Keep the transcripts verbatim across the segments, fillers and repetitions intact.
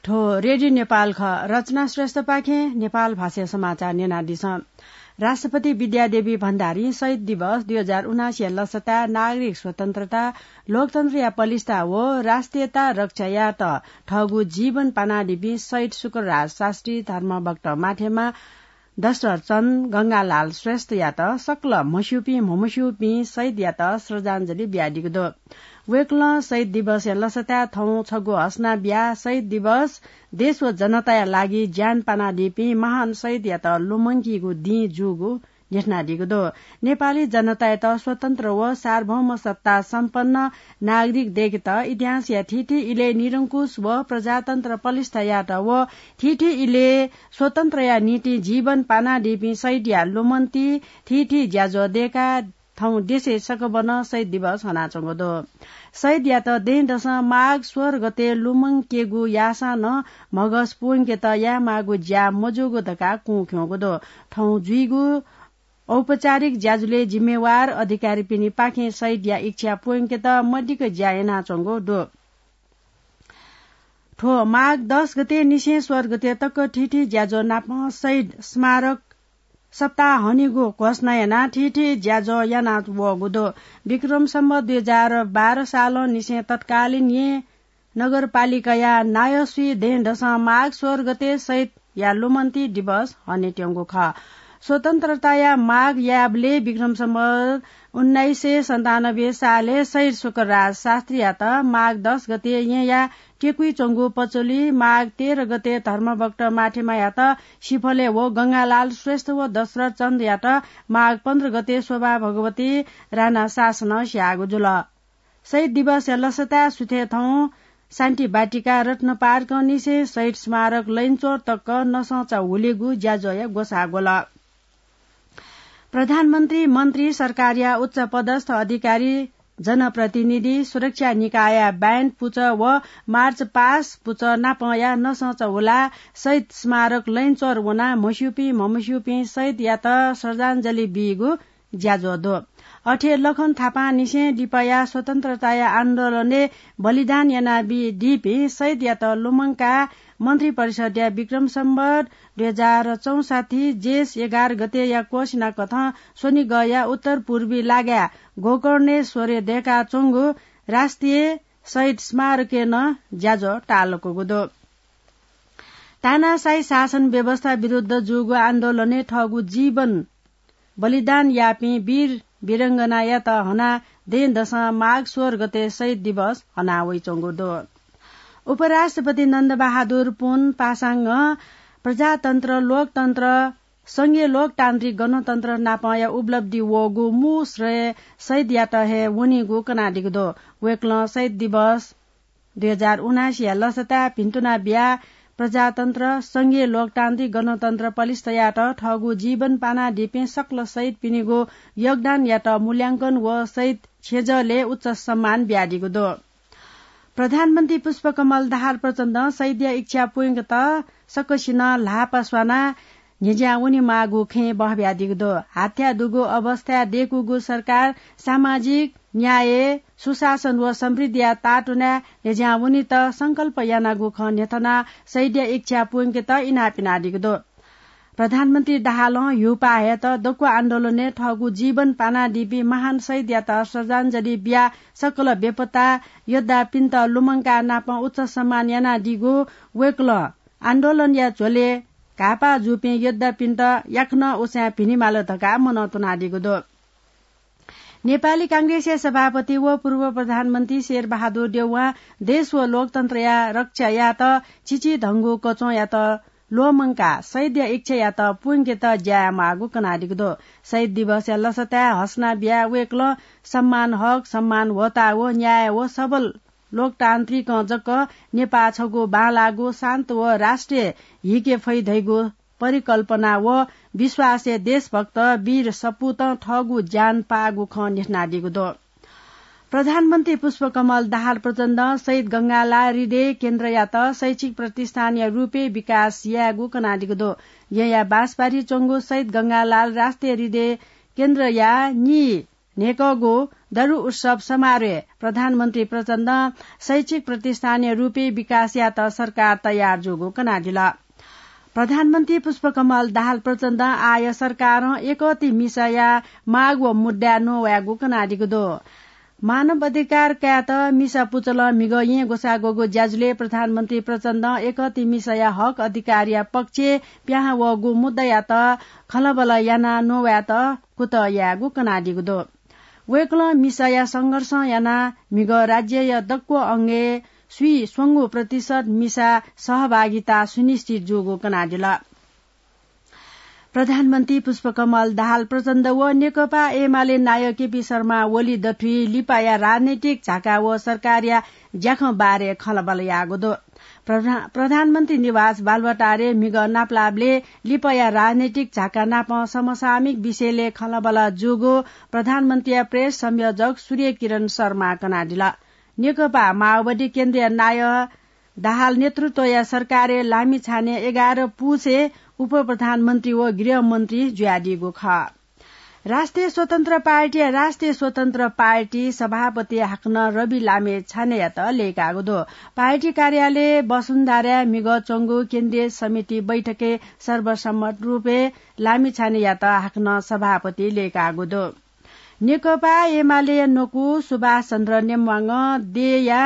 थ्व रेडियो नेपाल खः। रचना श्रेष्ठपाखें नेपाल भाषाया समाचार न्यनादिसँ। राष्ट्रपति विद्यादेवी भण्डारीं शहीद दिवस दुई हजार उनासीया लसताय् नागरिक स्वतन्त्रता, लोकतन्त्रया पलिस्था व राष्ट्रियता रक्षा यायेत थःगु जीवन पानादीपिं शहीद शुक्रराज शास्त्री, धर्मभक्त माठेमा, दशरथ चन्द, गंगालाल श्रेष्ठयात सकल म्हस्यूपिं म्हमस्यूपिं शहीदयात श्रद्धाञ्जली बियादीगु दु। वय्कलं शहीद दिवसया लसताय् थौं छगू हसना बियाः शहीद दिवस देश व जनताया लागि ज्यान पानादीपिं महान शहीदयात लुमंकीगु दिं जूगु न्ह्यथनादीगु दु। नेपाली जनतायात स्वतन्त्र व सार्वभौम सत्ता सम्पन्न नागरिक दय्केत इतिहासया थीथी इलय् निरंकुश व प्रजातन्त्र पलिस्था यायेत व थीथी इलय् स्वतन्त्रया निंतिं जीवन पानादीपिं शहीदया लुमन्ति थीथी ज्याझ्वः दय्काः थौं देशय् सकभनं शहीद दिवस हनाच्वंगु दु। शहीदयात दँय्दसं माघ सोह्र गते लुमंकेगु याःसां नं म्हगस प्वंकेत यायेमाःगु ज्या मजूगु धकाः कुं खिउँगु दु। थौं जुइगु औपचारिक ज्याझ्वलय् जिम्मेवार अधिकारीपिनिपाखें शहीदया इच्छा प्वंकेत मदिक्क ज्या यानाच्वंगु दु। थ्व माघ दस गते निसें सोह्र गते तक थीथी ज्याझ्वः नापं शहीद स्मारक सप्ताह हनेगु घोषणा यानाः थीथी ज्याझ्वः याना वःगु दु। विक्रम सम्वत दुई हजार बाह्र सालं निसें तत्कालीन येँ नगरपालिकाया नायःसुइ दँय्दसं माघ सोह्र गते शहीदया लुमन्ति दिवस हनेत्यंगु खः। स्वतन्त्रताया माग यायेबलय् विक्रम सम्वत उन्नाइस सय सन्तानब्बे सालय् शहीद शुक्रराज शास्त्रीयात माघ दस गते येँया टेकुइ च्वंगु पचोली, माघ तेह्र गते धर्मभक्त माठेमायात सिफलय् व गंगालाल श्रेष्ठ व दशरथ चन्दयात माघ पन्ध्र गते शोभा भगवती राणा शासनं स्याःगु जुल। शहीद दिवसया लसताय् सुथय् थौं शान्ति बाटिका, रत्न पार्कंनिसें शहीद स्मारक लैनचोर तक नसंचा हुलेगु ज्याझ्वःया ग्वसाः ग्वल। प्रधानमन्त्री, मन्त्री, सरकारया उच्च पदस्थ अधिकारी, जनप्रतिनिधि, सुरक्षा निकायया ब्यान्ड पुचः व मार्च पास्ट पुचः नापंया नसंचा हुलाः शहीद स्मारक लैनचोर वनाः म्हस्यूपिं म्हमस्यूपिं शहीदयात श्रद्धाञ्जली बीगु ज्याझ्वः दु। अथे लखन थापांनिसें लिपाया स्वतन्त्रताया आन्दोलनय् बलिदान यानादीपिं शहीदयात लुमंकाः मन्त्रिपरिषद्या विक्रम सम्वत दुई हजार चौसट्ठी जेष्ठ एघार गतेया क्वसिनाकथं स्वनिगःया उत्तर पूर्वी लागाय् गोकर्णेश्वरय् दय्काच्वंगु राष्ट्रिय शहीद स्मारकय् नं ज्याझ्वः ताःलाकूगु दु। तानाशाही शासन व्यवस्था विरुद्ध जूगु आन्दोलनय् थःगु जीवन बलिदान याःपिं वीर वीरंगनायात हनाः दँय्दसं माघ सोह्र गते शहीद दिवस हना वइच्वंगु दु। उपराष्ट्रपति नन्दबहादुर पुन पासांगं प्रजातन्त्र, लोकतन्त्र, संघीय लोकतान्त्रिक गणतन्त्र नापंया उपलब्धि वःगु मू श्रेय शहीदयात हे वनीगु कनादीगु दु। वय्कलं शहीद दिवस दुई हजार उनासीया लसताय् भिन्तुना बियाः प्रजातन्त्र, संघीय लोकतान्त्रिक गणतन्त्र पलिस्था यायेत थःगु जीवन पानादीपिं सकल शहीदपिनिगु योगदानयात मूल्यांकन व शहीद छेँजःलय् उच्च सम्मान बियादीगु दु। प्रधानमन्त्री पुष्पकमल दाहाल प्रचण्डं शहीदया इच्छा पूवंकेत सकसिनं ल्हापा स्वानाः न्ह्यज्यां वनेमाःगु खँय् बहबियादीगु दु। हाथ्याः दुगु अवस्थाय् दय्कूगु सरकार सामाजिक न्याय, सुशासन व समृद्धिया तातुनाय् न्ह्यज्यां वनेत संकल्प यानागु खँ न्ह्यथनाः शहीदया इच्छा पूवंकेत इनाप यानादीगु दु। प्रधानमन्त्री दाहालं हिउपाः हयेत दक्व आन्दोलनय् थःगु जीवन पानादीपिं महान शहीदयात श्रद्धाञ्जली बियाः सकल बेपत्ता योद्धापिन्त लुमंकाः नापं उच्च सम्मान यानादीगु वय्कलं आन्दोलनया झ्वलय् घाःपाः जूपिं योद्धापिन्त याकनं उसाँय् भिनेमाल धकाः मनंतुनादीगु दु। नेपाली कांग्रेसया सभापति व पूर्व प्रधानमन्त्री शेरबहादुर देउवां देश व लोकतन्त्रया रक्षा यायेत चिचिधंगु कच्वंयात ल्वःमंकाः शहीदया इच्छायात पूवंकेत ज्या यायेमाःगु कनादीगु दु। शहीद दिवसया लसताय् हसना बियाः वय्कलं सम्मान हक, सम्मान होता व न्याय व सबल लोकतान्त्रिकं जक नेपाः छगू बांलाःगु शान्त व राष्ट्रिय हिके फइ धइगु परिकल्पना व विश्वासय् देशभक्त वीर सपूतं थःगु ज्यान पाःगु खँ न्ह्यथनादीगु दु। प्रधानमन्त्री पुष्पकमल दाहाल प्रचण्डं शहीद गंगालाल हृदय केन्द्रयात शैक्षिक प्रतिष्ठानया रूपय् विकास यायेगु कनादीगु दु। येँया बाँसबारी च्वंगु शहीद गंगालाल राष्ट्रिय हृदय केन्द्रया नी न्हय्कःगु दरु उत्सव समारोहय् प्रधानमन्त्री प्रचण्डं शैक्षिक प्रतिष्ठानया रूपय् विकास यायेत सरकार तयार जूगु कनादिल। प्रधानमन्त्री पुष्पकमल दाहाल प्रचण्डं आःया सरकारं यकःति मिसाया माग व मुद्दाय् नवायेगु कनादीगु दु। मानव अधिकार कायेत मिसा पुचलं म्हिगः येँ ग्वसाः ग्वःगु ज्याझ्वलय् प्रधानमन्त्री प्रचण्डं यकःति मिसाया हक अधिकारया पक्षय् पिहां वःगु मुद्दायात खँल्हाबल्हा यानाः नवायेत कुतः यायेगु कनादीगु दु। वय्कलं मिसाया संघर्षं यानाः म्हिगः राज्यया दक्व अंगय् स्वीस्वंगू प्रतिशत मिसा सहभागिता सुनिश्चित जूगु कनादिल। प्रधानमन्त्री पुष्पकमल दाहाल प्रचण्ड व नेकपा एमाले नायः केपी शर्मा ओली दथुइ लिपाया राजनैतिक झाका व सरकारया ज्याखँ बारे खँल्हाबल्हा याःगु दु। प्रधा-, प्रधानमन्त्री निवास बालुवाटारय् म्हिगः नापलाःबलय् लिपाया राजनैतिक झाका नाप समसामयिक विषयलय् खँल्हाबल्हा जूगु प्रधानमन्त्रीया प्रेस संयोजक सूर्य किरण शर्मां कनादिल। नेकपा माओवादी केन्द्रीय नायः दाहाल नेतृत्वया सरकारय् लामिछानय् एघार पुसय् उपप्रधानमन्त्री व गृहमन्त्री जुयादीगु खः। राष्ट्रिय स्वतन्त्र पार्टीया राष्ट्रिय स्वतन्त्र पार्टी सभापति हाकनं रवि लामिछानेयात लय्काःगु दु। पार्टी कार्यालय वसुन्धराय् म्हिगः च्वंगु केन्द्रीय समिति बैठकय् सर्वसम्मत रूपय् लामिछानेयात हाकनं सभापति लय्काःगु दु। नेकपा एमालेया न्वकू सुभाष चन्द्र नेम्वाङं देय्‌या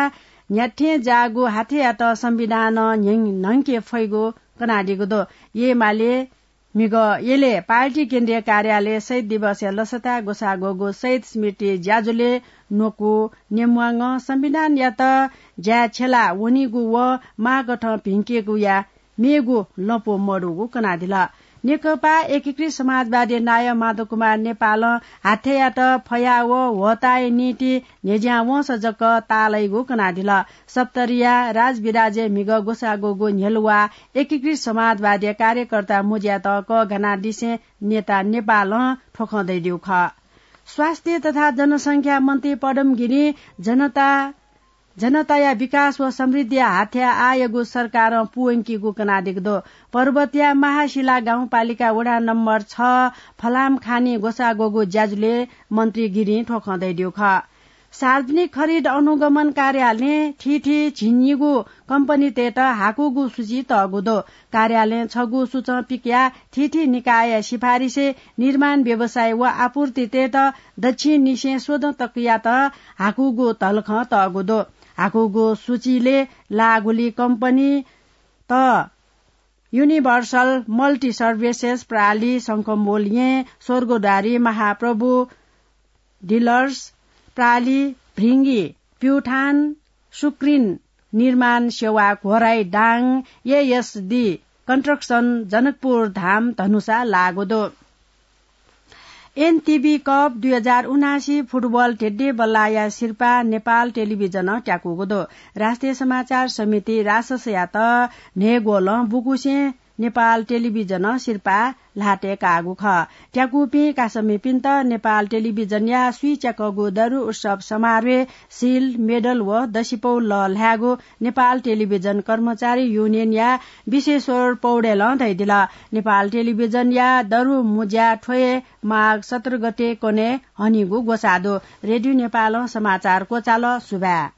न्ह्याथें जाःगु हाथेयात संविधानं न्ह्यं-, न्हंके फइगु कनादीगु दु। एमाले म्हिगः यलय् पार्टी केन्द्रीय कार्यालय शहीद दिवसया लसताय् ग्वसाः ग्वःगु शहीद स्मृति ज्याझ्वलय् न्वकू नेम्वाङं संविधानयात ज्याय् छ्यला वनीगु व माःगथं भिंकेगुया मेगु लँपु मदुगु कनादिल। नेकपा एकीकृत समाजवादी नायः माधव कुमार नेपालं हाथेयात फया व ह्वःताया निंतिं न्ह्यज्यां वंसा जक ताःलाइगु कनादिल। सप्तरीया राजविराजय् म्हिगः ग्वसाः ग्वःगु न्ह्यलुवा एकीकृत समाजवादी कार्यकर्ता मुज्यात कःघानादिसें नेता नेपालं थ्व खँ धयादीगु खः। स्वास्थ्य तथा जनसंख्या मन्त्री पदम गिरिं जनता जनताया विकास व समृद्धिया हाथ्या आःयागु सरकारं पूवंकीगु कनादीगु दु। पर्वतया महाशिला गाउँपालिका वडा नम्बर छ फलामखानी ग्वसाः ग्वःगु ज्याझ्वलय् मन्त्री गिरिं थ्व खँ धयादीगु खः। सार्वजनिक खरिद अनुगमन कार्यालयं थीथी झिंनिगू कम्पनीतय्त हाकूगु सूची तःगु दु। कार्यालयं छगू सूचं पिकयाः थीथी निकायया सिफारिसय् निर्माण व्यवसायी व आपूर्तितय्त दच्छिंनिसें स्वदँ तकयात हाकूगु धलखं तःगु दु। हाकूगु सूचीलय् लाःगुली कम्पनीत युनिभर्सल मल्टी सर्भिसेस प्रालि, शंखमूल येँ, स्वर्गद्वारी, महाप्रभु डिलर्स प्रालि, भृंगी, प्युठान, सुक्रिन निर्माण सेवा, घोराइ दाङ, एएसडी कन्स्ट्रक्सन, जनकपुर धाम, धनुषा लाःगु दु। एनटिभी कप दुई हजार उनासी फुटबल धेद्येबल्लाया सिरपाः नेपाल टेलिभिजनं त्याकूगु दु। राष्ट्रिय समाचार समिति राससयात न्हय्‌ग्वलं बुकुसें नेपाल टेलिभिजनं सिरपाः ल्हातय् काःगु खः। त्याकूपिं कासामिपिन्त नेपाल टेलिभिजनया स्वीच्याकःगु दरु उत्सव समारोहय् सिल, मेडल व दसिपौ लःल्हायेगु नेपाल टेलिभिजन कर्मचारी युनियनया विश्वेश्वर पौडेलं धयादिल। नेपाल टेलिभिजनया दरु मुज्या थ्व हे माघ सत्र गते कन्हय् हनीगु ग्वसाः दु। रेडियो नेपालं समाचार क्वचाल। सुभाय्।